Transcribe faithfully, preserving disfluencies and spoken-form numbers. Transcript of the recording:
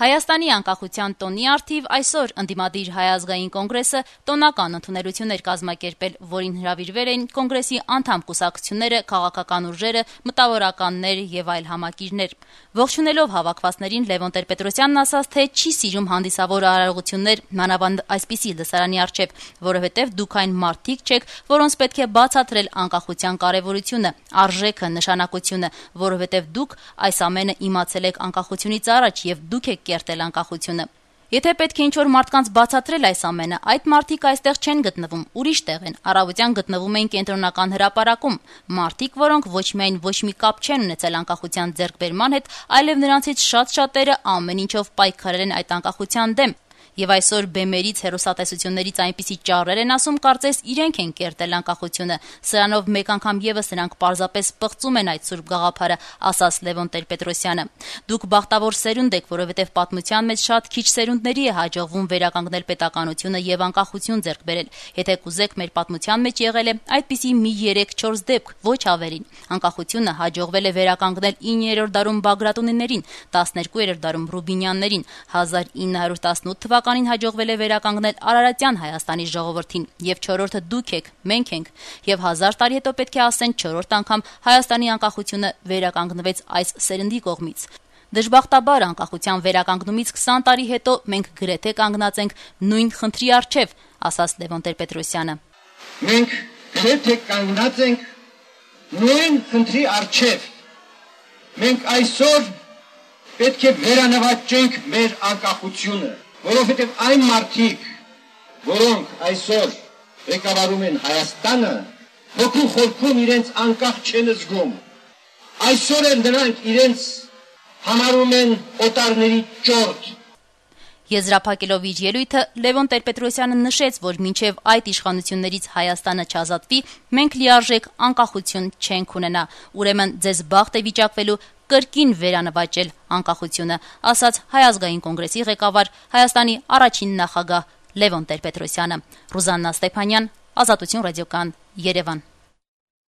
Հայաստանի անկախության տոնի առթիվ այսօր ընդդիմադիր Հայ ազգային կոնգրեսը տոնական ընդունելություն էր կազմակերպել, որին հրավիրվել էին կոնգրեսի անդամ կուսակցությունները, քաղաքական ուժերը, մտավորականներ եւ այլ համակիրներ։ Ողջունելով հավաքվածներին Լևոն Տեր-Պետրոսյանն ասաց, թե չի սիրում հանդիսավոր արարողություններ, մանավանդ այսպիսի լսարանի առջև, որովհետեւ դուք այն մարդիկ չեք, որոնց պետք է բացատրել անկախության կարեւորությունը, արժեքը, նշանակությունը, որովհետեւ դուք այս ամենը իմացել եք անկախությունից առաջ եւ դուք եք կերտել անկախությունը։ Եթե պետք է ինչ-որ մարդկանց բացատրել այս ամենը, այդ մարդիկ այստեղ չեն գտնվում, ուրիշ տեղ են, առավոտյան գտնվում են կենտրոնական հրապարակում, մարդիկ, որոնք ոչ միայն ոչ մի կապ չեն ունեցել անկախության ձեռքբերման հետ, այլև նրանցից շատ-շատերը ամեն ինչով պայքարել են այդ անկախության դեմ։ Եվ այսօր բեմերից, հեռուստատեսություններից այնպիսի ճառեր են ասում, կարծես իրենք են կերտել անկախությունը, սրանով մեկ անգամ եւս նրանք պարզապես պղծում են այդ սուրբ գաղափարը, ասաց Լևոն Տեր-Պետրոսյանը։ Դուք բախտավոր սերունդ եք, որովհետեւ պատմության մեջ շատ քիչ սերունդների է հաջողվում վերականգնել պետականությունը եւ անկախություն ձեռք բերել։ Եթե կուզեք, մեր պատմության մեջ եղել է այդպիսի մի երեք-չորս դեպք, ոչ ավելին։ Անկախությունը հաջողվել է վերականգնել իններորդ դարում Բագրատունիներին, տասներկուերորդ դարում Ռուբինյաններին, հազար ինը հարյուր տասնութ թվականին հաջողվել է վերականգնել Արարատյան Հայաստանի ժողովրդին, եւ չորրորդը դուք եք, մենք ենք, եւ հազար տարի հետո պետք է ասեն չորրորդ անգամ Հայաստանի անկախությունը վերականգնվեց այս սերնդի կողմից։ Դժբախտաբար անկախության վերականգնումից քսան տարի հետո մենք գրեթե կանգնած ենք նույն խնդրի առջև, ասաց Լևոն Տեր-Պետրոսյանը։ Մենք գրեթե կանգնած ենք նույն խնդրի առջև։ Մենք այսօր պետք է վերանվաճենք մեր անկախությունը, որովհետև այն մարդիկ, որոնք այսօր ղեկավարում են Հայաստանը, հոգու խորքում իրենց անկախ չեն զգում։ Այսօր էլ նրանք իրենց համարում են օտարների ճորտ։ Եզրափակելով իր ելույթը Լևոն Տեր-Պետրոսյանը նշեց, որ մինչև այդ իշխանություններից Հայաստանը չազատվի, մենք լիարժեք անկախություն չենք ունենա, ուրեմն ձեզ բախտ է վիճակվելու կրկին վերանվաճել անկախությունը, ասաց Հայ ազգային կոնգրեսի ղեկավար Հայաստանի առաջին նախագահ Լևոն Տեր-Պետրոսյանը։ Ռուզաննա Ստեփանյան, Ազատություն ռադիոկան, Երևան։